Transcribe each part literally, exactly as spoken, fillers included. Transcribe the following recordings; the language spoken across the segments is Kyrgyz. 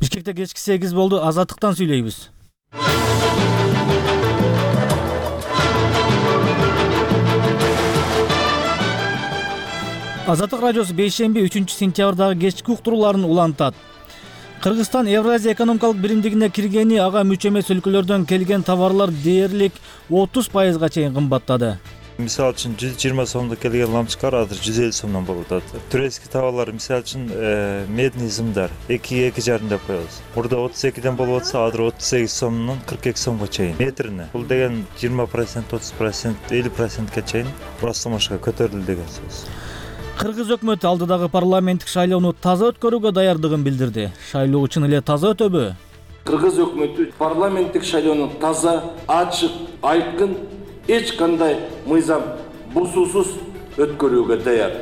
Бишкекте кечки сегиз болду. Азаттыктан сүйлөйбүз. Азаттык радиосу бейшемби үчүнчү сентябрдагы кечки уктурууларын улантат. Кыргызстан Евразия экономикалык биримдигине киргени ага мүчө эмес өлкөлөрдөн келген товарлар дээрлик отуз пайызга чейин кымбаттады. Мисалы үчүн жүз жыйырма сомдо келген ламчыкар азыр жүз элүү сомдон болуп атат. Турецкий товарлар, мисалы үчүн медный зымдар экиге эки жарым деп коебуз. Мурда отуз экиден болуп атса, азыр отуз сегиз сомдон кырк эки сомго чейин метрине. Бул деген жыйырма процент, отуз процент, элүү процентке чейин растамашка көтөрүлдү деген сөз. Кыргыз өкмөтү алдыдагы парламенттик шайлоону таза өткөрүүгө даярдыгын билдирди. Шайлоо чын эле таза өтөбү? Кыргыз өкмөтү парламенттик шайлоону таза, ачык, айкын, эч кандай мыйзам бузуусуз өткөрүүгө даяр.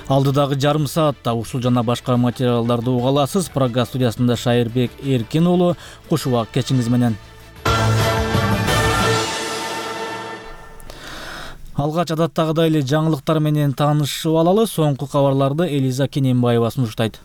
Алдыдагы жарым саатта ушул жана башка материалдарды уга аласыз. Программа студиясында Шайырбек Эркин уулу. Куш убак кечиңиз менен. Алгач адаттагыдай эле жаңылыктар менен таанышып алалы. Соңку кабарларды Элиза Кененбаева сунуштайт.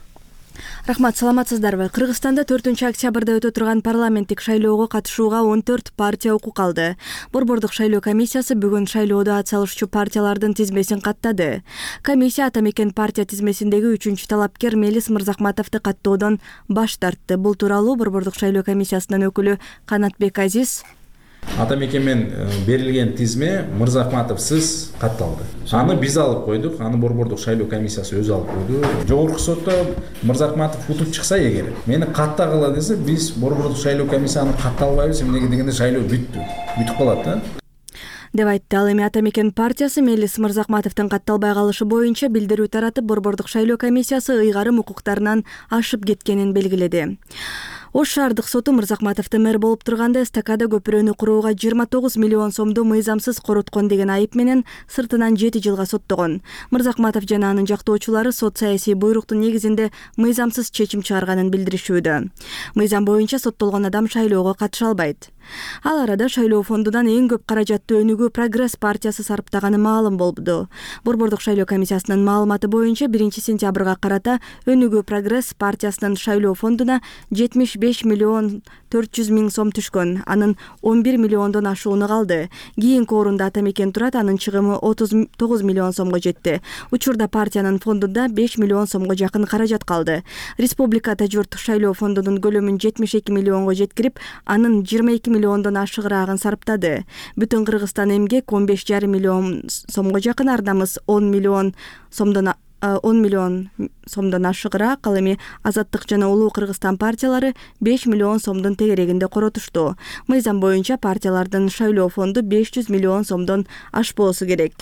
Рахмат, саламатсыздарбы? Кыргызстанда төртүнчү октябрда өтө турган парламенттик шайлоого катышууга он төрт партия укук алды. Борбордук шайлоо комиссиясы бүгүн шайлоодо ат салышчу партиялардын тизмесин каттады. Комиссия Ата Мекен партия тизмесиндеги үчүнчү талапкер Мелис Мырзахматовду каттоодон баш тартты. Бул тууралуу Борбордук шайлоо комиссиясынын өкүлү Канатбек Азиз Ата Мекенмен берилген тизме Мырзахматовсыз катталды. Аны биз алып койдук, аны Борбордук шайлоо комиссиясы өзү алып койду. Жогорку сотто Мырзахматов утуп чыкса эгер, мени каттагыла десе, биз Борбордук шайлоо комиссияны катталбайбыз, эмнеге дегенде шайлоо бүттү. Бүтүп калат да. деп айтты. Ал эми Ата Мекен партиясы Мелис Мырзахматовдун катталбай калышы боюнча билдирүү таратып, Борбордук шайлоо комиссиясы ыйгарым укуктарынан ашып кеткенин белгиледи. Ош шаардык соту Мырзахматовду мэр болуп турганда эстакада көпүрөнү курууга жыйырма тогуз миллион сомду мыйзамсыз короткон деген айып менен сыртынан жети жылга соттогон. Мырзахматов жана анын жактоочулары сот саясий буйруктун негизинде мыйзамсыз чечим чыгарганын билдиришүүдө. Мыйзам боюнча соттолгон адам шайлоого катыша албайт. Ал арада шайлоо фондунан эң көп каражатты өнүгүү Прогресс партиясы сарптаганы маалым болду. Борбордук шайлоо комиссиясынын маалыматы боюнча биринчи сентябрга карата өнүгүү Прогресс партиясынын шайлоо фондуна жетимиш беш миллион төрт жүз миң сом түшкөн. Анын он бир миллиондон ашууну калды. Кийинки орунда Ата Мекен турат, анын чыгымы отуз тогуз миллион сомго жетти. Учурда партиянын фондунда беш миллион сомго жакын каражат калды. Республикада журт шайлоо фондунун көлөмүн жетимиш эки миллионго жеткирип, анын жыйырма эки миллиондон ашыгыраагын сарптады. Бүтүн Кыргызстан эмгек он беш жарым миллион сомго жакын, ар намыс он миллион сомдон он миллион сомдон ашыгыраак. Ал эми Азаттык жана Улуу Кыргызстан партиялары беш миллион сомдун тегерегинде коротушту. Мыйзам боюнча партиялардын шайлоо фонду беш жүз миллион сомдон ашпоосу керек.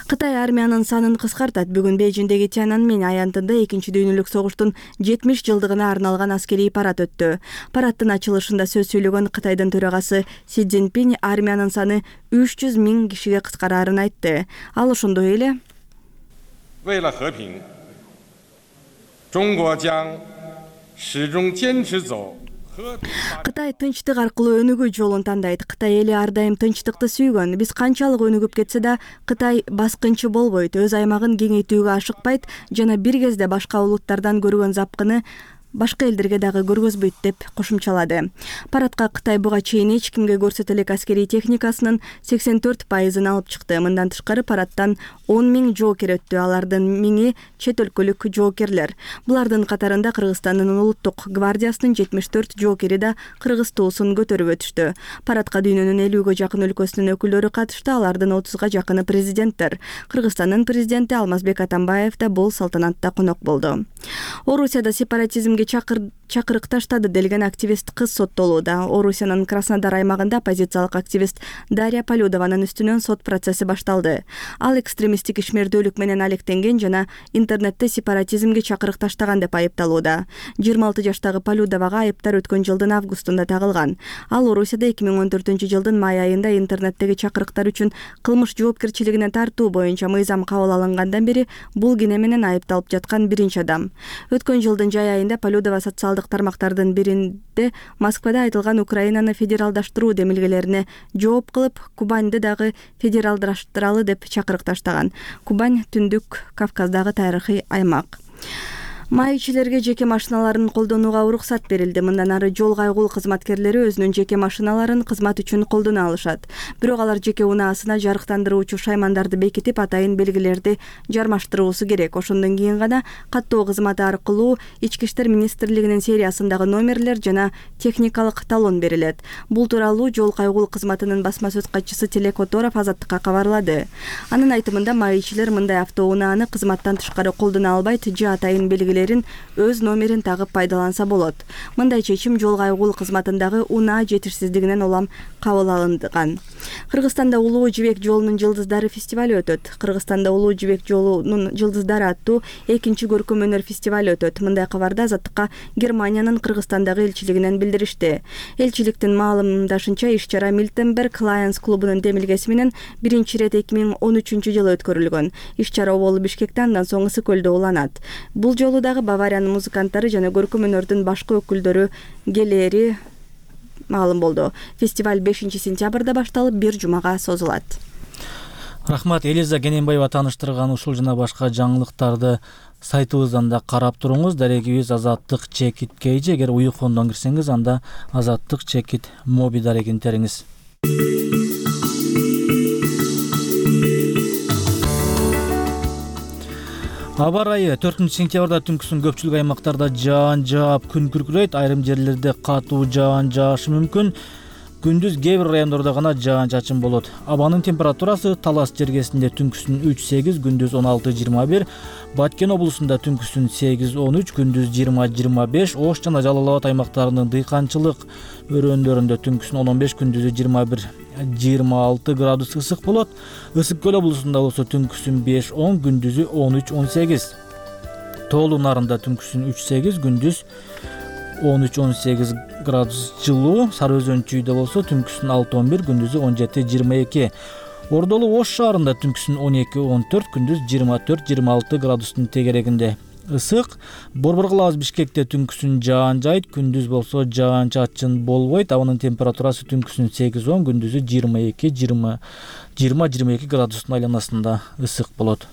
Кытай армиянын санын кыскартат. Бүгүн Бейжиңдеги Тяньаньмэнь аянтында экинчи дүйнөлүк согуштун жетимиш жылдыгына арналган аскерий парад өттү. Парадтын ачылышында сөз сүйлөгөн Кытайдын төрагасы Си Цзиньпинь армиянын саны үч жүз миң кишиге кыскараарын айтты. Ал ошондой эле 为了和平，中国将始终坚持走 Кытай тынчтык аркылуу өнүгүү жолун тандайт. Кытай эли ар дайым тынчтыкты сүйгөн. Биз канчалык өнүгүп кетсе да, Кытай баскынчы болбойт, өз аймагын кеңейтүүгө ашыкпайт жана бир кезде башка улуттардан көргөн запкыны башка элдерге дагы көргөзбөйт деп кошумчалады. Парадка Кытай буга чейин эч кимге көрсөтө элек аскерий техникасынын сексен төрт пайызын алып чыкты. Мындан тышкары парадтан он миң жоокер өттү. Алардын миңи чет өлкөлүк жоокерлер. Булардын катарында Кыргызстандын улуттук гвардиясынын жетимиш төрт жоокери да кыргыз туусун көтөрүп өтүштү. Парадка дүйнөнүн элүүгө жакын өлкөсүнүн өкүлдөрү катышты. Алардын отузга жакыны президенттер. Кыргызстандын президенти Алмазбек Атамбаев да бул салтанатта конок болду. Орусияда сепаратизмге чакыр чакырык таштады делген активист кыз соттолууда. Орусиянын Краснодар аймагында оппозициялык активист Дарья Полюдованын үстүнөн сот процесси башталды. Ал экстремисттик ишмердүүлүк менен алектенген жана интернетте сепаратизмге чакырык таштаган деп айыпталууда. жыйырма алты жаштагы Полюдовага айыптар өткөн жылдын августунда тагылган. Ал Орусияда эки миң он төртүнчү жылдын май айында интернеттеги чакырыктар үчүн кылмыш жоопкерчилигине тартуу боюнча мыйзам кабыл алынгандан бери бул кине менен айыпталып жаткан биринчи адам. Өткөн жылдын жай айында Полюдова социалдык тармактардын биринде Москвада айтылган Украинаны федералдаштыруу демилгелерине жооп кылып, Кубаньды дагы федералдаштыралы деп чакырык таштаган. Кубань Түндүк Кавказдагы тарыхый аймак. Маекчилерге жеке машиналарын колдонууга уруксат берилди. Мындан ары жол кайгул кызматкерлери өзүнүн жеке машиналарын кызмат үчүн колдоно алышат. Бирок алар жеке унаасына жарыктандыруучу шаймандарды бекитип, атайын белгилерди жармаштыруусу керек. Ошондон кийин гана каттоо кызматы аркылуу Ички иштер министрлигинин сериясындагы номерлер жана техникалык талон берилет. Бул тууралуу жол кайгул кызматынын басма сөз катчысы Тилек Оторов Азаттыкка кабарлады. Анын айтымында маекчилер мындай автоунааны кызматтан тышкары колдоно албайт же атайын белгилерин өз номерин тагып пайдаланса болот. Мындай чечим жол кайгул кызматындагы унаа жетишсиздигинен улам кабыл алынган. Кыргызстанда Улуу жибек жолунун жылдыздары фестиваль өтөт. Кыргызстанда Улуу жибек жолунун жылдыздары аттуу экинчи көркөм өнөр фестиваль өтөт. Мындай кабарды Азаттыкка Германиянын Кыргызстандагы элчилигинен билдиришти. Элчиликтин маалымдашынча, иш-чара Милтенберг Lions клубунун демилгеси менен биринчи ирет эки миң он үчүнчү жылы өткөрүлгөн. Иш-чара оболу Бишкекте, андан соң Ысык көлдө уланат. Бул жолу дагы Бавариянын музыканттары жана көркөм өнөрдүн башкы өкүлдөрү келери маалым болду. Фестиваль бешинчи сентябрда башталып, бир жумага созулат. Рахмат, Элиза Кененбаева тааныштырган ушул жана башка жаңылыктарды сайтыбыздан да карап туруңуз. Дарегибиз Азаттык чекит кейжи. Эгер уюкондон кирсеңиз, анда Азаттык чекит моби дарегин териңиз. Аба ырайы төртүнчү сентябрда түнкүсүн көпчүлүк аймактарда жаан жаап, күн күркүрөйт. Айрым жерлерде катуу жаан жаашы мүмкүн. Күндүз кээ бир райондордо гана жаан чачын болот. Абанын температурасы Талас жергесинде түнкүсүн үч сегиз, күндүз он алты жыйырма бир, Баткен облусунда түнкүсүн сегиз он үч, күндүз жыйырма жыйырма беш, Ош жана Жалал Абад аймактарынын дыйканчылык өрөөндөрүндө түнкүсүн он он беш, күндүзү жыйырма бир жыйырма алты градус ысык болот. Ысык көл облусунда болсо түнкүсүн беш он, күндүзү он үч он сегиз. Тоолуу нарында түнкүсүн үч сегиз, күндүз он үч он сегиз градус жылуу. Сары Өзөн чүйдө болсо түнкүсүн алты он бир, күндүзү он жети жыйырма эки. Ордолу Ош шаарында түнкүсүн он эки он төрт, күндүз жыйырма төрт жыйырма алты градустун тегерегинде ысык. Борбор калабыз Бишкекте түнкүсүн жаан жайт, күндүз болсо жаан чачын болбойт. Абанын температурасы түнкүсүн сегиз он, күндүзү жыйырма эки жыйырма жыйырма эки градустун айланасында ысык болот.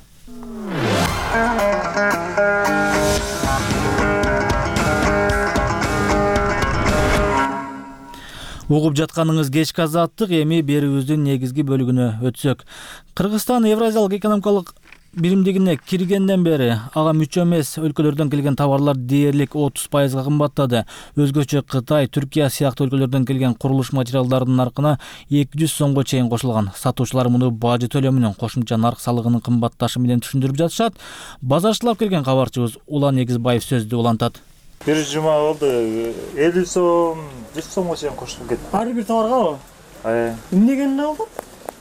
Угуп жатканыңыз кечки Азаттык. Эми берүүбүздүн негизги бөлүгүнө өтсөк. Кыргызстан Евразиялык экономикалык биримдигине киргенден бери ага мүчө эмес өлкөлөрдөн келген товарлар дээрлик отуз пайызга кымбаттады. Өзгөчө Кытай, Түркия сыяктуу өлкөлөрдөн келген курулуш материалдарынын наркына эки жүз сомго чейин кошулган. Сатуучулар муну бажы төлөмүнүн, кошумча нарк салыгынын кымбатташы менен түшүндүрүп жатышат. Базарчылап келген кабарчыбыз Улан Негизбаев сөздү улантат. Бир жума болду, элүү сом, жүз сомго чейин кошулуп кетти. Ар бир товарга? Ай. Эмнегенде болду?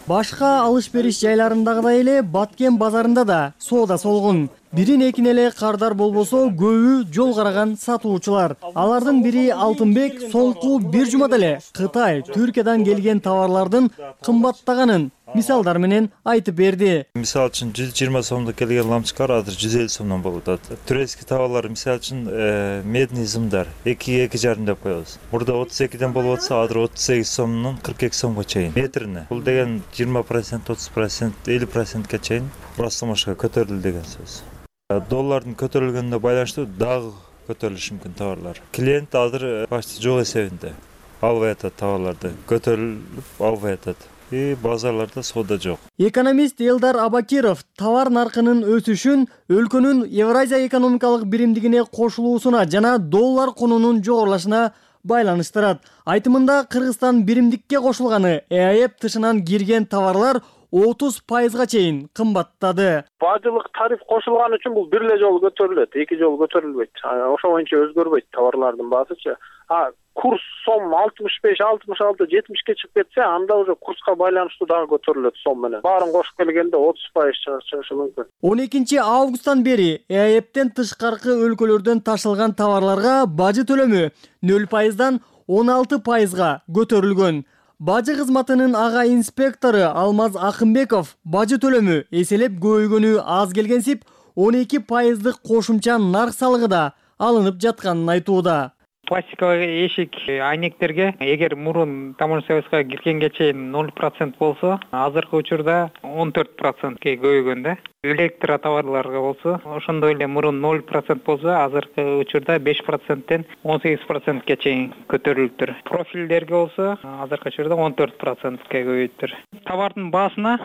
Башка алыш-бериш жайларындагыдай эле Баткен базарында да соода солгун. Бирин экин эле кардар болбосо, көбү жол караган сатуучулар. Алардын бири Алтынбек соңку бир жумада эле Кытай, Түркиядан келген товарлардын кымбаттаганын мисалдар менен айтып берди. Мисал үчүн жүз жыйырма сомдо келген лампочкалар азыр жүз элүү сомдон болуп атат. Турецкий товарлар мисал үчүн медный зымдар эки эки жарым деп коебуз. Мурда отуз экиден болуп атса, азыр отуз сегиз сомдон кырк эки сомго чейин метрине. Бул деген жыйырма процент, отуз процент, элүү процентке чейин растамашка көтөрүлдү деген сөз. Доллардын көтөрүлгөнүнө байланыштуу дагы көтөрүлүшү мүмкүн товарлар. Клиент азыр почти жок эсебинде албай атат товарларды, көтөрүлүп албай атат. И базарларда соода жок. Экономист Элдар Абакиров товар наркынын өсүшүн өлкөнүн Евразия экономикалык биримдигине кошулуусуна жана доллар кунунун жогорулашына байланыштырат. Айтымында Кыргызстан биримдикке кошулганы ЭАЭП тышынан кирген товарлар отуз пайызга чейин кымбаттады. Бажылык тариф кошулган үчүн бул бир эле жолу көтөрүлөт, эки жолу көтөрүлбөйт. Ошо боюнча өзгөрбөйт товарлардын баасычы. А курс сом алтымыш беш, алтымыш алты, жетимишке чыгып кетсе, анда уже курска байланыштуу дагы көтөрүлөт сом менен. Баарын кошуп келгенде отуз пайыз чыгышы мүмкүн. он экинчи августтан бери ЭАЭПтен тышкаркы өлкөлөрдөн ташылган товарларга бажы төлөмү нөл пайыздан он алты пайызга көтөрүлгөн. Бажы кызматынын ага инспектору Алмаз Акымбеков бажы төлөмү эселеп көбөйгөнү аз келгенсип, он эки пайыздык кошумча нарк салыгы да алынып жатканын айтууда. Пластиковый эшик айнектерге эгер мурун таможня союзга киргенге чейин ноль процент болсо, азыркы учурда он төрт процентке көбөйгөн да. Электро товарларга болсо, ошондой эле мурун ноль процент болсо, азыркы учурда беш проценттен он сегиз процентке чейин көтөрүлүптүр. Профилдерге болсо, азыркы учурда он төрт процентке көбөйүптүр. Товардын баасына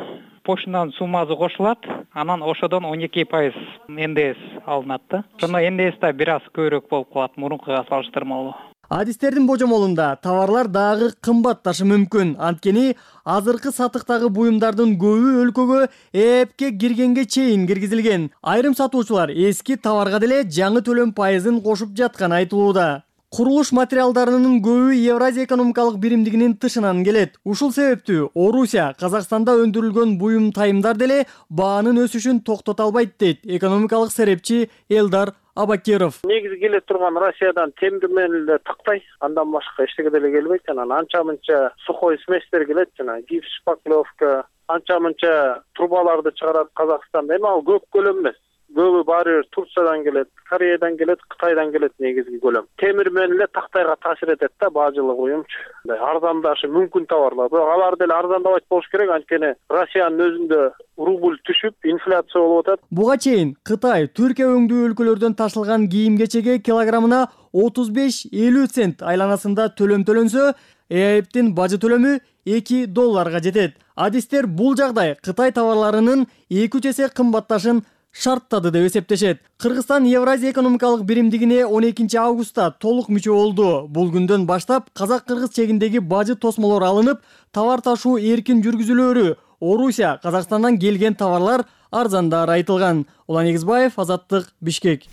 почтадан суммасы кошулат, анан ошодон он эки пайыз эн дэ эс алынат да. Ошондо эн дэ эс да бир аз көбүрөөк болуп калат мурункуга салыштырмалуу. Адистердин божомолунда товарлар дагы кымбатташы мүмкүн. Анткени азыркы сатыктагы буюмдардын көбү өлкөгө эпке киргенге чейин киргизилген. Айрым сатуучулар эски товарга деле жаңы төлөм пайызын кошуп жатканы айтылууда. Курулуш материалдарынын көбү Евразия экономикалык биримдигинин тышынан келет. Ушул себептүү Орусия Казакстанда өндүрүлгөн буюм тайымдар деле баанын өсүшүн токтото албайт дейт экономикалык серепчи Элдар Абакиров. Негизи келе турган Россиядан темир менен эле тактай, андан башка эчтеке деле келбейт. Анан анча-мынча сухой сместер келет, жана гипс, шпаклевка, анча-мынча трубаларды чыгарат Казакстанда. Эми ал көп көлөм эмес. Көбү баары Турциядан келет, Кореядан келет, Кытайдан келет негизги көлөм. Темир менен эле тактайга таасир этет да баажылык уюмчу. Арзандашы мүмкүн товарлар. Бирок алар деле арзандабайт болуш керек, анткени Россиянын өзүндө рубль түшүп, инфляция болуп атат. Буга чейин Кытай Түркия өңдүү өлкөлөрдөн ташылган кийим-кечеге килограммына отуз беш элүү цент айланасында төлөм төлөнсө, ЭАЭПтин бажы төлөмү эки долларга жетет. Адистер бул жагдай Кытай товарларынын эки үч эсе кымбатташын шарттады деп эсептешет. Кыргызстан Евразия экономикалык биримдигине он экинчи августта толук мүчө болду. Бул күндөн баштап казак-кыргыз чегиндеги бажы тосмолор алынып, товар ташуу эркин жүргүзүлөөрү, Орусия, Казакстандан келген товарлар арзандары айтылган. Улан Эгизбаев, Азаттык, Бишкек.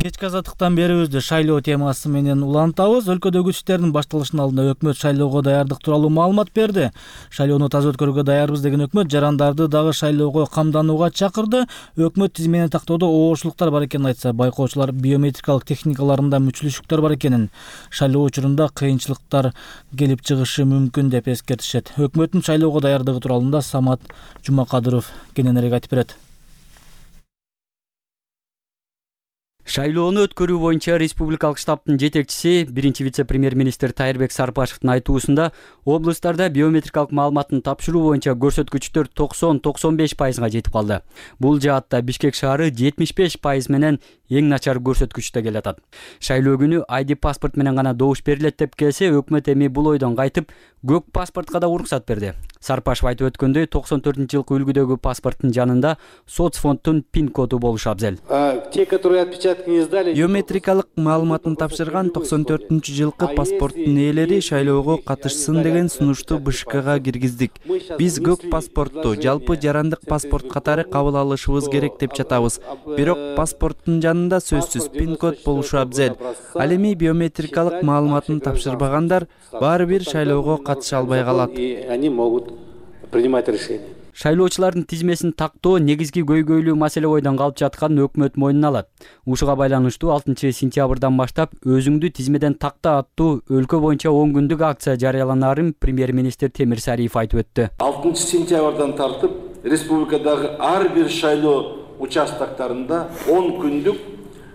Кечки азаттыктан берүүбүздү шайлоо темасы менен улантабыз. Өлкөдөгү күчтөрдүн башталышынын алдында өкмөт шайлоого даярдык тууралуу маалымат берди. Шайлоону таза өткөрүүгө даярбыз деген өкмөт жарандарды дагы шайлоого камданууга чакырды. Өкмөт тизмени тактоодо оошулуктар бар экенин айтса, байкоочулар биометрикалык техникаларында мүчүлүшүктөр бар экенин, шайлоо учурунда кыйынчылыктар келип чыгышы мүмкүн деп эскертишет. Өкмөттүн шайлоого даярдыгы тууралуу Самат Жумакадыров кененирээк айтып берет. Шайлоону өткөрүү боюнча республикалык штабтын жетекчиси, биринчи вице-премьер-министр Тайырбек Сарпашевдин айтуусунда, облустарда биометрикалык маалыматтын тапшыруу боюнча көрсөткүчтөр токсон — токсон беш пайызга жетип калды. Бул жаатта Бишкек шаары жетимиш беш пайыз менен эң начар көрсөткүчтө келатат. Шайлоо күнү ай ди паспорт менен гана добуш берилет деп келсе, өкмөт эми бул ойдон кайтып, көк паспортко да уруксат берди. Сарпашев айтып өткөндөй, токсон төртүнчү жылкы үлгүдөгү паспорттун жанында соцфонддун пин коду болушу абзел. Те, которые отпечатки не сдали, биометрикалык маалыматын тапшырган токсон төртүнчү жылкы паспорттун ээлери шайлоого катышсын деген сунушту бэ ш кга киргиздик. Биз көк паспортту жалпы жарандык паспорт катары кабыл алышыбыз керек деп жатабыз. Бирок паспорттун жанында сөзсүз пин код болушу абзел. Ал эми биометрикалык маалыматын тапшырбагандар баары бир шайлоого катыша албай калат. Они могут принимать решение. Шайлоочулардын тизмесин тактоо негизги көйгөйлүү маселе ойдон калып жатканын өкмөт мойнуна алат. Ушуга байланыштуу алтынчы сентябрдан баштап өзүңдү тизмеден такта аттуу өлкө боюнча он күндүк акция жарыяланаарын премьер-министр Темир Сариев айтып өттү. алтынчы сентябрдан тартып республикадагы ар бир шайлоо участоктарында он күндүк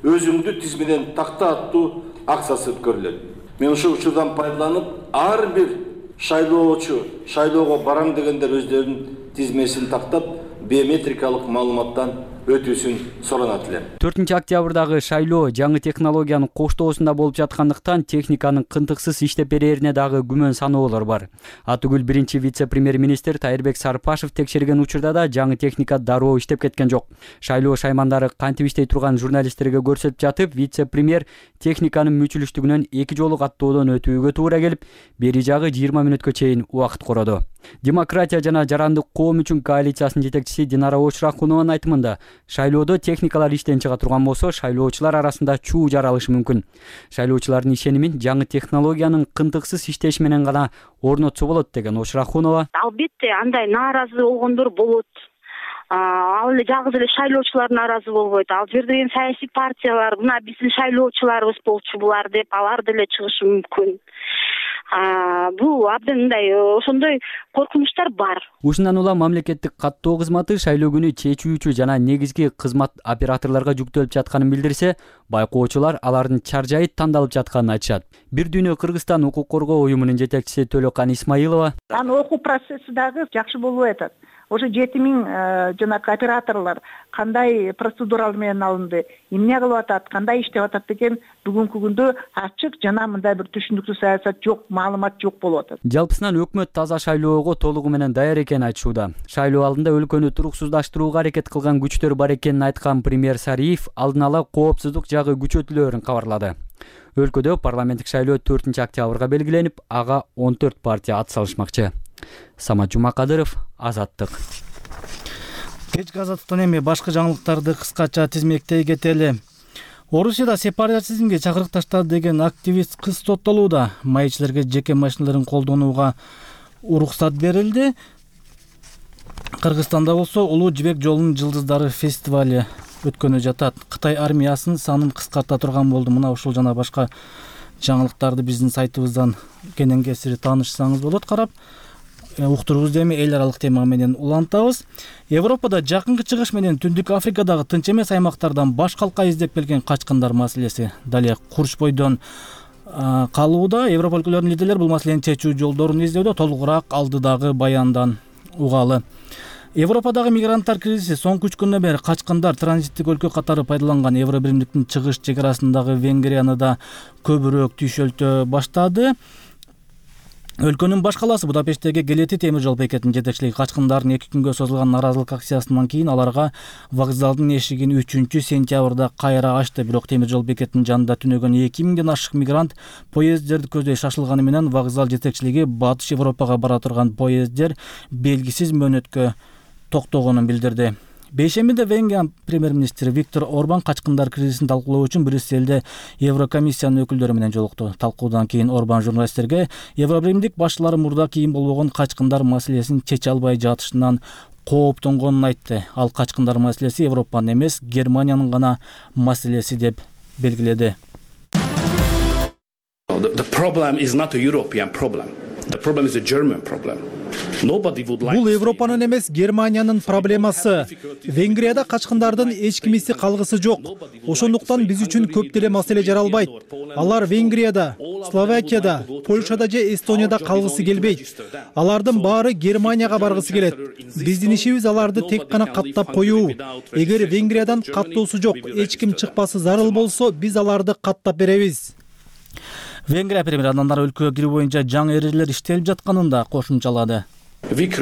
өзүңдү тизмеден такта аттуу акциясы өткөрүлөт. Мен ушул учурдан пайдаланып, ар бир шайлоочу шайлоого барам дегендер өздөрүнүн тизмесин тактап, биометрикалык маалыматтан өтүүсүн суранат элем. төртүнчү октябрдагы шайлоо жаңы технологиянын коштоосунда болуп жаткандыктан техниканын кынтыксыз иштеп берээрине дагы күмөн саноолор бар. Атүгүл биринчи вице-премьер-министр Тайырбек Сарпашев текшерген учурда да жаңы техника дароо иштеп кеткен жок. Шайлоо шаймандары кантип иштей турган журналисттерге көрсөтүп жатып, вице-премьер техниканын мүчүлүштүгүнөн эки жолу каттоодон өтүүгө туура келип, бери жагы жыйырма мүнөткө чейин убакыт короду. Демократия жана жарандык коом үчүн коалициясынын жетекчиси Динара Очрахунованын айтымында, шайлоодо техникалар иштен чыга турган болсо, шайлоочулар арасында чуу жаралышы мүмкүн. Шайлоочулардын ишенимин жаңы технологиянын кынтыксыз иштеши менен гана орнотсо болот деген Очрахунова. Албетте андай нааразы болгондор болот. Ал эле жалгыз эле шайлоочулар нааразы болбойт. Ал жерде эми саясий партиялар, мына биздин шайлоочуларыбыз болчу булар деп алар деле чыгышы мүмкүн. бул абдан мындай ошондой коркунучтар бар. Ушундан улам мамлекеттик каттоо кызматы шайлоо күнү чечүүчү жана негизги кызмат операторлорго жүктөлүп жатканын билдирсе, байкоочулар алардын чаржайы тандалып жатканын айтышат. Бир дүйнө Кыргызстан укук коргоо уюмунун жетекчиси Төлөкан Исмаилова: Анын окуу процесси дагы жакшы болуп атат. Ошо жети миң жанагы операторлор кандай процедуралар менен алынды, эмне кылып атат, кандай иштеп атат деген бүгүнкү күндө ачык жана мындай бир түшүнүктүү саясат жок, маалымат жок болуп атат. Жалпысынан өкмөт таза шайлоого толугу менен даяр экенин айтышууда. Шайлоо алдында өлкөнү туруксуздаштырууга аракет кылган күчтөр бар экенин айткан премьер Сариев алдын ала коопсуздук жагы күчөтүлөөрүн кабарлады. Өлкөдө парламенттик шайлоо төртүнчү октябрга белгиленип, ага он төрт партия ат салышмакчы. Самат Жумакадыров, Азаттык. Кечки азаттыктан эми башка жаңылыктарды кыскача тизмектей кетели. Орусияда сепаратизмге чакырык таштады деген активист кыз соттолууда. Майчыларга жеке машиналарын колдонууга уруксат берилди. Кыргызстанда болсо Улуу жибек жолунун жылдыздары фестивали өткөнү жатат. Кытай армиясынын санын кыскарта турган болду. Мына ушул жана башка жаңылыктарды биздин сайтыбыздан кенен кесири таанышсаңыз болот. Карап уктурубузду эми эл аралык тема менен улантабыз. Европада Жакынкы Чыгыш менен Түндүк Африкадагы тынч эмес аймактардан баш калка издеп келген качкындар маселеси дале курчпойдон калууда. Европа өлкөлөрүнүн лидерлери бул маселени чечүү жолдорун издөөдө. Толугураак алдыдагы баяндан угалы. Европадагы мигранттар кризиси соңку үч күндөн бери качкындар транзиттик өлкө катары пайдаланган Евробиримдиктин чыгыш чек арасындагы Венгрияны да көбүрөөк түйшөлтө баштады. Өлкөнүн баш калаасы Будапешттеги Гелети темир жол бекетинин жетекчилиги качкындардын эки күнгө созулган нааразылык акциясынан кийин аларга вокзалдын эшигин үчүнчү сентябрда кайра ачты. Бирок темир жол бекетинин жанында түнөгөн эки миңден ашык мигрант поезддерди көздөй шашылганы менен вокзал жетекчилиги Батыш Европага бара турган поезддер белгисиз мөөнөткө токтогонун билдирди. Бейшембиде Венгрия премьер-министри Виктор Орбан качкындар кризисин талкуулоо үчүн Брюсселде Еврокомиссиянын өкүлдөрү менен жолукту. Талкуудан кийин Орбан журналисттерге Евробиримдик башчылары мурда кийин болбогон качкындар маселесин чече албай жатышынан кооптонгонун айтты. Ал качкындар маселеси Европанын эмес, Германиянын гана маселеси деп белгиледи. The problem is not a European problem. The problem is a German problem. Бул Европанын эмес, Германиянын проблемасы. Венгрияда качкындардын эч кимиси калгысы жок. Ошондуктан биз үчүн көп деле маселе жаралбайт. Алар Венгрияда, Словакияда, Польшада же Эстонияда калгысы келбейт. Алардын баары Германияга баргысы келет. Биздин ишибиз аларды тек гана каттап коюу. Эгер Венгриядан каттоосу жок, эч ким чыкпасы зарыл болсо, биз аларды каттап беребиз. Венгрия премьери андан ары өлкөгө кирүү боюнча жаңы эрежелер иштелип жатканын да кошумчалады. Биз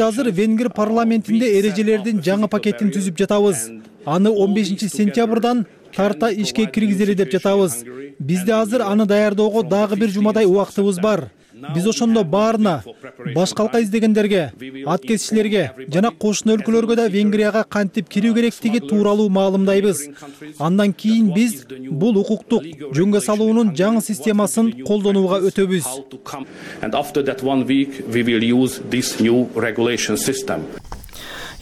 азыр Венгер парламентинде эрежелердин жаңы пакетин түзүп жатабыз. Аны он бешинчи сентябрдан тарта ишке киргизели деп жатабыз. Бизде азыр аны даярдоого дагы бир жумадай убактыбыз бар. Биз ошондо баарына, баш калка издегендерге, ат кесичилерге жана кошуна өлкөлөргө да Венгрияга кантип кирүү керектиги тууралуу маалымдайбыз. Андан кийин биз бул укуктук жөнгө салуунун жаңы системасын колдонууга өтөбүз.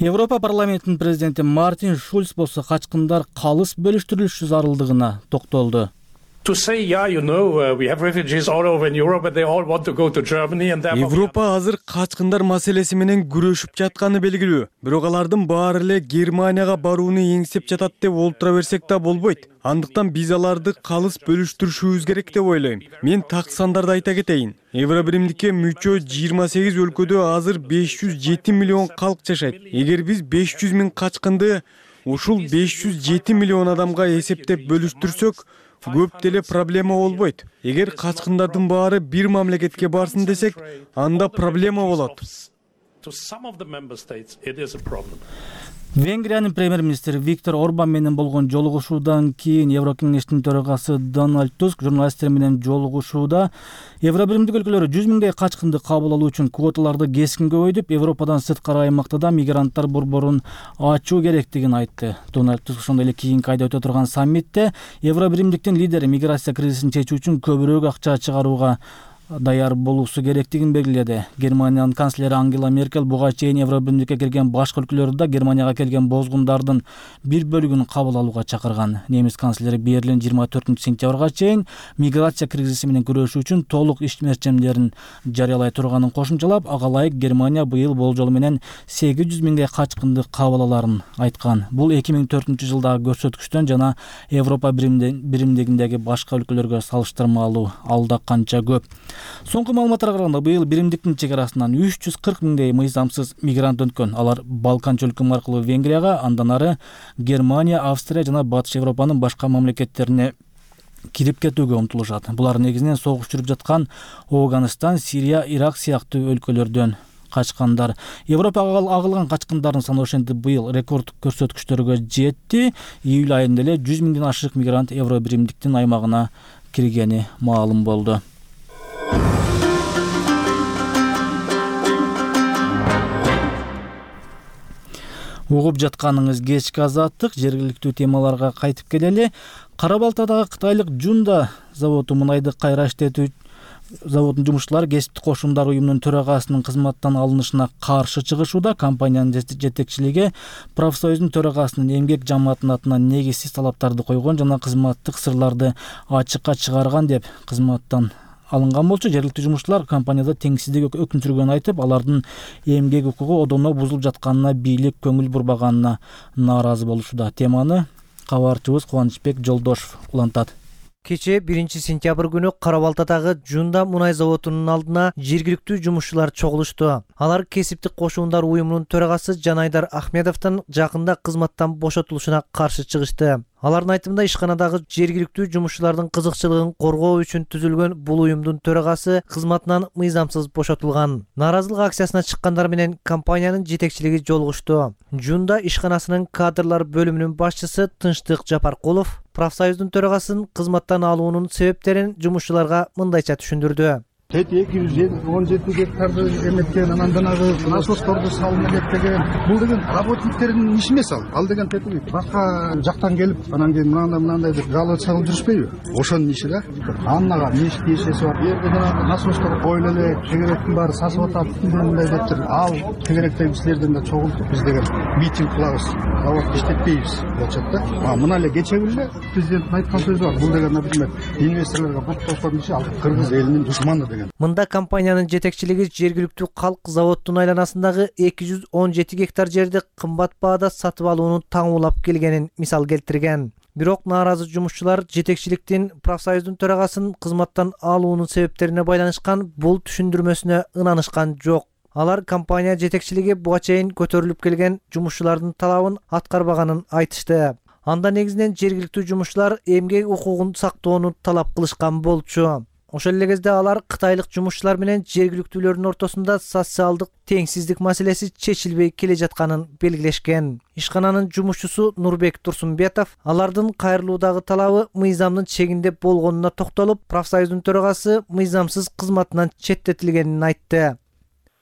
Европа парламентинин президенти Мартин Шульц болсо качкындар калыс бөлүштүрүлүшү зарылдыгына токтолду. Европа азыр качкындар маселеси менен күрөшүп жатканы белгилүү. Бирок алардын баары эле Германияга барууну эңсеп жатат деп олтура берсек да болбойт. Андыктан биз аларды калыс бөлүштүрүшүбүз керек деп ойлойм. Мен так сандарды айта кетейин. Евробиримдикке мүчө жыйырма сегиз өлкөдө азыр беш жүз жети миллион калк жашайт. Эгер биз беш жүз миң качкынды ушул беш жүз жети миллион адамга эсептеп бөлүштүрсөк, көп деле проблема болбойт. Эгер качкындардын баары бир мамлекетке барсын десек, анда проблема болот. Венгриянын премьер-министри Виктор Орбан менен болгон жолугушуудан кийин Еврокеңештин төрагасы Дональд Туск журналисттер менен жолугушууда Евробиримдик өлкөлөр жүз миңдей качкынды кабыл алуу үчүн квоталарды кескин көбөйтүп, Европадан сырткары аймакта да мигранттар борборун ачуу керектигин айтты. Дональд Туск ошондой эле кийинки айда өтө турган саммитте Евробиримдиктин лидери миграция кризисин чечүү үчүн көбүрөөк акча чыгарууга даяр болуусу керектигин белгиледи. Германиянын канцлери Ангела Меркель буга чейин Евробиримдикке кирген башка өлкөлөрдө Германияга келген бозгундардын бир бөлүгүн кабыл алууга чакырган. Немис канцлери Берлин жыйырма төртүнчү сентябрга чейин миграция кризиси менен күрөшүү үчүн толук иш мерчемдерин жарыялай турганын кошумчалап, ага ылайык Германия быйыл болжол менен сегиз жүз миңдей качкынды кабыл аларын айткан. Бул эки миң төртүнчү жылдагы көрсөткүчтөн жана Европа биримдигиндеги башка өлкөлөргө салыштырмалуу алда канча көп. Соңку маалыматтарга караганда быйыл биримдиктин чек арасынан үч жүз кырк миңдей мыйзамсыз мигрант өткөн. Алар Балкан чөлкөмү аркылуу Венгрияга, андан ары Германия, Австрия жана Батыш Европанын башка мамлекеттерине кирип кетүүгө умтулушат. Булар негизинен согуш жүрүп жаткан Афганистан, Сирия, Ирак сыяктуу өлкөлөрдөн качкандар. Европага агылган качкындардын саны ошентип быйыл рекордтук көрсөткүчтөргө жетти. Июль айында эле жүз миңден ашык мигрант Евро биримдиктин аймагына киргени маалым болду. Угуп жатканыңыз кечки азаттык, жергиликтүү темаларга кайтып келели. Кара Балтадагы кытайлык Жунда заводу мунайды кайра иштетүү заводунун жумушчулары кесиптик кошумдар уюмунун төрагасынын кызматтан алынышына каршы чыгышууда. Компаниянын жетекчилиги профсоюздун төрагасынын эмгек жамаатынын атынан негизсиз талаптарды койгон жана кызматтык сырларды ачыкка чыгарган деп кызматтан алынган болчу. Жергиликтүү жумушчулар компанияда теңсиздик өкүм сүргөнүн айтып, алардын эмгек укугу одоно бузулуп жатканына бийлик көңүл бурбаганына нааразы болушууда. Теманы кабарчыбыз Кубанычбек Жолдошов улантат. Кече биринчи сентябрь күнү Кара Балтадагы Жунда мунай заводунун алдына жергиликтүү жумушчулар чогулушту. Алар кесиптик кошуундар уюмунун төрагасы Жанайдар Ахмедовдун жакында кызматтан бошотулушуна каршы чыгышты. Алардын айтымында ишканадагы жергиликтүү жумушчулардын кызыкчылыгын коргоо үчүн түзүлгөн бул уюмдун төрагасы кызматынан мыйзамсыз бошотулган. Нааразылык акциясына чыккандар менен компаниянын жетекчилиги жолугушту. Жунда ишканасынын кадрлар бөлүмүнүн башчысы Тынчтык Жапаркулов профсоюздун төрагасын кызматтан алуунун себептерин жумушчуларга мындайча түшүндүрдү. эки жүз он жети гектарды эметкен, анан жанагы насосторду салына кеткен. Бул деген работниктердин иши эмес ал. Ал деген тетиги башка жактан келип, анан кийин мынандай мынандай деп жалоба чыгып жүрүшпөйбү? Ошонун иши да. Аннага меш кешеси бар. Жерде жанагы насостор коюлу эле, тегеректин баары сасып атат, мындай дептир. Ал тегеректеги кишилерден да чогултуп биз деген митинг кылабыз. Завод иштетпейбиз болчот да. А мына эле кече күндө президенттин айткан сөзү бар. Бул деген, например, инвесторлорго бут кошкон иши ал кыргыз элинин душманы деген. Мында компаниянын жетекчилиги жергиликтүү калк заводдун айланасындагы эки жүз он жети гектар жерди кымбат баада сатып алууну таңуулап келгенин мисал келтирген. Бирок нааразы жумушчулар жетекчиликтин профсоюздун төрагасын кызматтан алуунун себептерине байланышкан бул түшүндүрмөсүнө ынанышкан жок. Алар компания жетекчилиги буга чейин көтөрүлүп келген жумушчулардын талабын аткарбаганын айтышты. Анда негизинен жергиликтүү жумушчулар эмгек укугун сактоону талап кылышкан болчу. Ошол эле кезде алар кытайлык жумушчулар менен жергиликтүүлөрдүн ортосунда социалдык теңсиздик маселеси чечилбей келе жатканын белгилешкен. Ишкананын жумушчусу Нурбек Турсунбетов алардын кайрылуудагы талабы мыйзамдын чегинде болгонуна токтолуп, профсоюздун төрагасы мыйзамсыз кызматынан четтетилгенин айтты.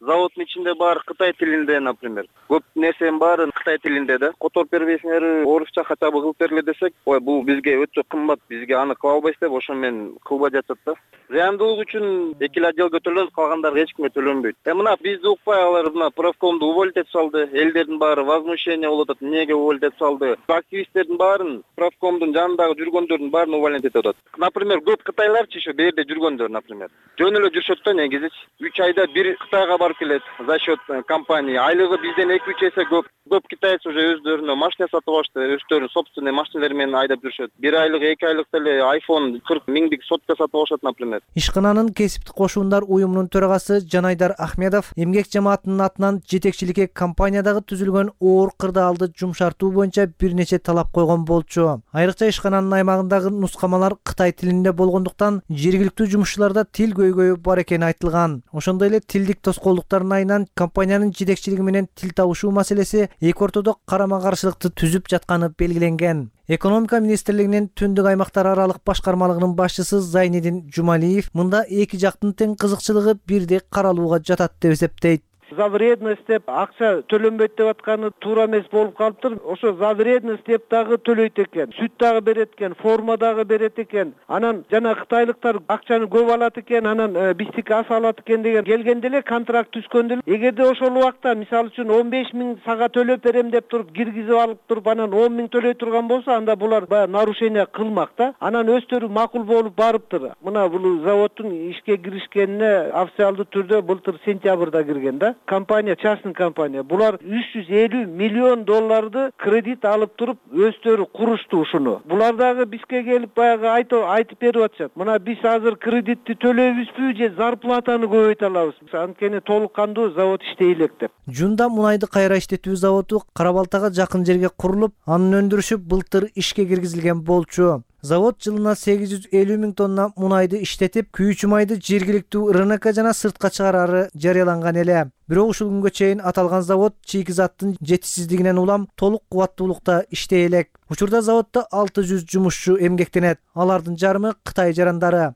Заводдун ичинде баары Кытай тилинде, например. Көп нерсенин баары Кытай тилинде да. Которуп бербейсиңер, орусча хотя бы кылып бергиле десек, ой, бул бизге өтө кымбат, бизге аны кыла албайсыз деп, ошо менен кылбай жатат да. Зыяндуулук үчүн эки эле отделге төлөнөт, калгандар эч кимге төлөнбөйт. Э мына бизди укпай алар мына профкомду уволить этип салды. Элдердин баары возмущение болуп атат. Эмнеге уволить этип салды? Активисттердин баарын, профкомдун жанындагы жүргөндөрдүн баарын уволить этип атат. Например, көп кытайларчы ошо бул жерде жүргөндөр, например. Жөн эле жүрүшөт да негизичи. үч айда бир Кытайга барып келет за счет компании. Айлыгы бизден эки үч эсе көп. Көп китайцы уже өздөрүнө машина сатып алышты, өздөрүнүн собственный машиналары менен айдап жүрүшөт. бир айлык, эки айлык эле айфон кырк миңдик сотка сатып алышат, например. Ишкананын кесиптик кошуундар уюмунун төрагасы Жанайдар Ахмедов эмгек жамаатынын атынан жетекчиликке компаниядагы түзүлгөн оор кырдаалды жумшартуу боюнча бир нече талап койгон болчу. Айрыкча ишкананын аймагындагы нускамалар Кытай тилинде болгондуктан жергиликтүү жумушчуларда тил көйгөйү бар экени айтылган. Ошондой эле тилдик тоскоолдуктардын айынан компаниянын жетекчилиги менен тил табышуу маселеси эки ортодо карама-каршылыкты түзүп жатканы белгиленген. Экономика министрлигинин түндүк аймактар аралык башкармалыгынын башчысы Зайнидин Жумалиев мында эки жактын тең кызыкчылыгы бирдей каралууга жатат деп эсептейт. за вредность деп акча төлөнбөйт деп атканы туура эмес болуп калыптыр. Ошо за вредность деп дагы төлөйт экен, сүт дагы берет экен, форма дагы берет экен. Анан жана кытайлыктар акчаны көп алат экен, анан биздики аз алат экен деген келгенде эле контракт түзгөндө эле эгерде ошол убакта мисалы үчүн он беш миң сага төлөп берем деп туруп киргизип алып туруп анан он миң төлөй турган болсо, анда булар баягы нарушение кылмак да. Анан өздөрү макул болуп барыптыр. Мына бул заводдун ишке киришкенине официалдуу түрдө былтыр сентябрда кирген да. Компания, частный компания. Булар үч жүз элүү миллион долларды кредит алып туруп өздөрү курушту ушуну. Булар дагы бизге келип баягы айтып берип атышат. Мына биз азыр кредитти төлөйбүзбү же зарплатаны көбөйтө алабыз. Анткени толук кандуу завод иштей элек деп. Жунда мунайды кайра иштетүү заводу Кара Балтага жакын жерге курулуп, анын өндүрүшү былтыр ишке киргизилген болчу. Завод жылына сегиз жүз элүү миң тонна мунайды иштетип, күйүүчү майды жергиликтүү РНК жана сыртка чыгарары жарыяланган эле. Бирок ушул күнгө чейин аталган завод чийкизаттын жетишсиздигинен улам толук кубаттуулукта иштей элек. Учурда заводдо алты жүз жумушчу эмгектенет. Алардын жарымы Кытай жарандары.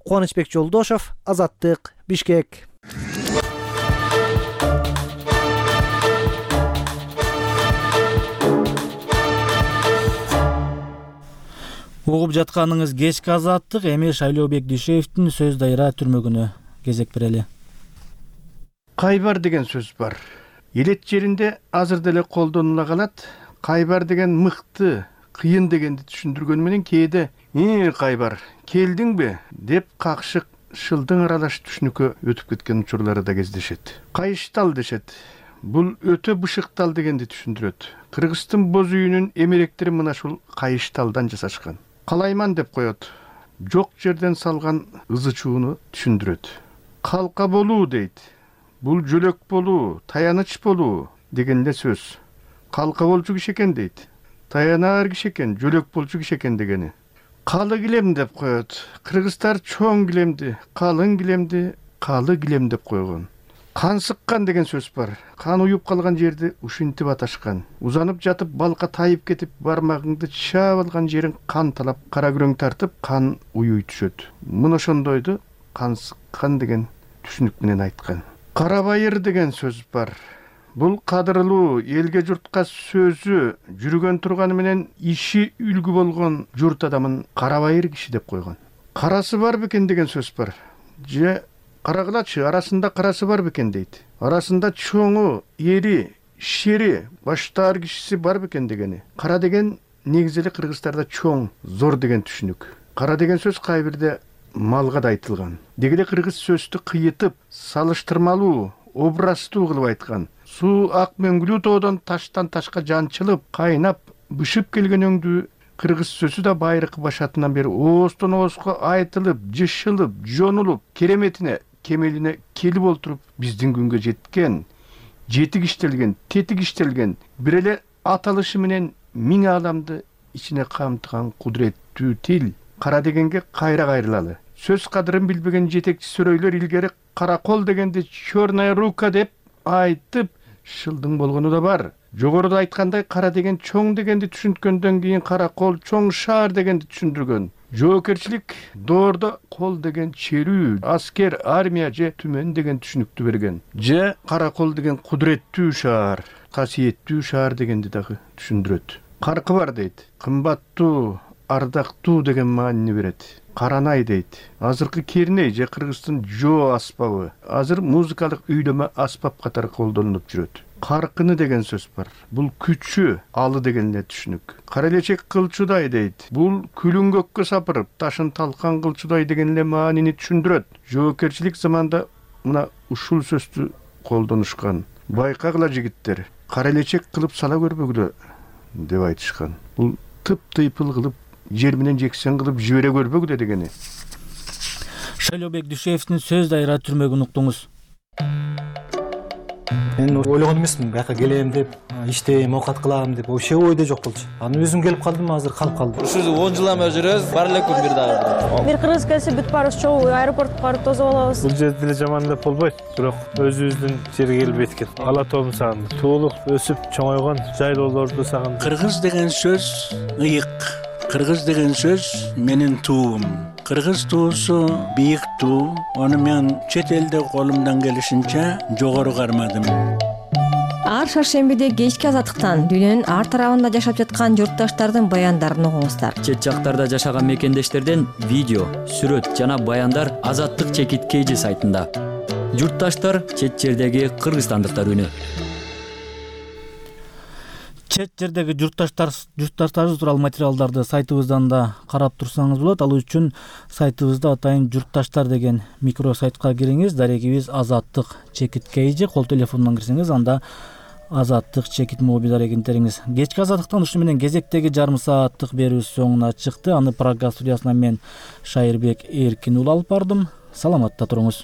Кубанычбек Жолдошов, Азаттык, Бишкек. Угуп жатканыңыз кечки Азаттык, эми Шайлообек Дүйшеевдин сөз дайра түрмөгүнө кезек берели. Кайбар деген сөз бар. Элет жеринде азыр деле колдонула калат. Кайбар деген мыкты, кыйын дегенди түшүндүргөнү менен кээде «Э, Кайбар, келдиңби?» деп какшык шылдың аралаш түшүнүккө өтүп кеткен учурлары да кездешет. Кайыштал дешет. Бул өтө бышыктал дегенди түшүндүрөт. Кыргыздын боз үйүнүн эмеректери мына ушул кайышталдан жасашкан. Калайман деп коет. Жок жерден салган ызы чууну түшүндүрөт. Калка болуу дейт. Бул жөлөк болуу, таяныч болуу деген эле сөз. Калка болчу киши экен дейт. Таянаар киши экен, жөлөк болчу киши экен дегени. Калы килем деп коет. Кыргыздар чоң килемди, калың килемди, калы килем деп койгон. Кан сыккан деген сөз бар. Кан уюп калган жерди ушинтип аташкан. Узанып жатып балка тайып кетип, бармагыңды чаап алган жериң кан талап, кара күрөң тартып, кан уюй түшөт. Мына ошондойду кан сыккан деген түшүнүк менен айткан. Карабайыр деген сөз бар. Бул кадырлуу, элге журтка сөзү жүргөн турганы менен иши үлгү болгон журт адамын карабайыр киши деп койгон. Карасы бар бекен деген сөз бар. Же карагылачы, арасында карасы бар бекен дейт. Арасында чоңу, эри, шери, баштаар кишиси бар бекен дегени. Кара деген негизи эле кыргыздарда чоң, зор деген түшүнүк. Кара деген сөз кайбирде малга да айтылган. Дегеле кыргыз сөздү кыйытып, салыштырмалуу, образтуу кылып айткан. Суу ак мөңгүлүү тоодон таштан ташка жанчылып, кайнап, бышып келген өңдү кыргыз сөзү да байыркы башатынан бери оостон ооска айтылып, жышылып, жонулуп, кереметине, кемелине келип олтуруп биздин күнгө жеткен, жетик иштелген, тетик иштелген, бир эле аталышы менен миң адамды ичине камтыган кудуреттүү тил. Кара дегенге кайра кайрылалы. Сөз кадырын билбеген жетекчи сөрөйлөр илгери кара кол дегенди черная рука деп айтып шылдың болгону да бар. Жогоруда айткандай кара деген чоң дегенди түшүнткөндөн кийин кара кол чоң шаар дегенди түшүндүргөн. Жоокерчилик доордо кол деген черүү, аскер, армия же түмөн деген түшүнүктү берген. Же кара кол деген кудуреттүү шаар, касиеттүү шаар дегенди дагы түшүндүрөт. Каркы бар дейт. Кымбаттуу, ардактуу деген маанини берет. Каранай дейт. Азыркы керней же кыргыздын жоо аспабы. Азыр музыкалык үйлөмө аспап катары колдонулуп жүрөт. Каркыны деген сөз бар. Бул күчү, алы деген эле түшүнүк. Карелечек кылчудай дейт. Бул күлүн көккө сапырып, ташын талкан кылчудай деген эле маанини түшүндүрөт. Жоокерчилик заманда мына ушул сөздү колдонушкан. Байкагыла жигиттер, карелечек кылып сала көрбөгүлө деп айтышкан. Бул тып-тыйпыл кылып, жер менен жексен кылып жибере көрбөгүлө дегени. Шайлообек Дүйшеевдин сөз дайра түрмөгүн уктуңуз. Мен ойлогон эмесмин, бияка келем деп, иштейм, оокат кылам деп, вообще ойдо жок болчу. Анан өзүм келип калдым, азыр калып калдым. Ушул он жылдан бери жүрөбүз, бар эле күн бир дагы. Бир кыргыз келсе бүт баарыбыз чогуу аэропортко барып тосуп алабыз. Бул жерде деле жаман деп болбойт, бирок өзүбүздүн жерге келип эткен. Ала тообун сагындым. Туулуп, өсүп, чоңойгон жайлоолорду сагындым. Кыргыз деген сөз ыйык. Кыргыз деген сөз менин туубум. Кыргыз туусу бийик туу, аны мен чет элде колумдан келишинче жогору кармадым. Ар шаршембиде кечки азаттыктан дүйнөнүн ар тарабында жашап жаткан журтташтардын баяндарын угуңуздар. Чет жактарда жашаган мекендештерден видео, сүрөт жана баяндар Азаттык чекит кейжи сайтында. Журтташтар чет жердеги кыргызстандыктар үнү. Чет жердеги журтташтар журтташтарыбыз тууралуу материалдарды сайтыбыздан да карап турсаңыз болот. Ал үчүн сайтыбызда атайын журтташтар деген микросайтка кириңиз. Дарегибиз Азаттык чекит кейжи. Кол телефонунан кирсеңиз анда Азаттык чекит моби дарегин териңиз. Кечки азаттыктан ушуну менен кезектеги жарым сааттык берүүбүз соңуна чыкты. Аны Прага студиясынан мен Шайырбек Эркин уулу алып бардым. Саламатта туруңуз.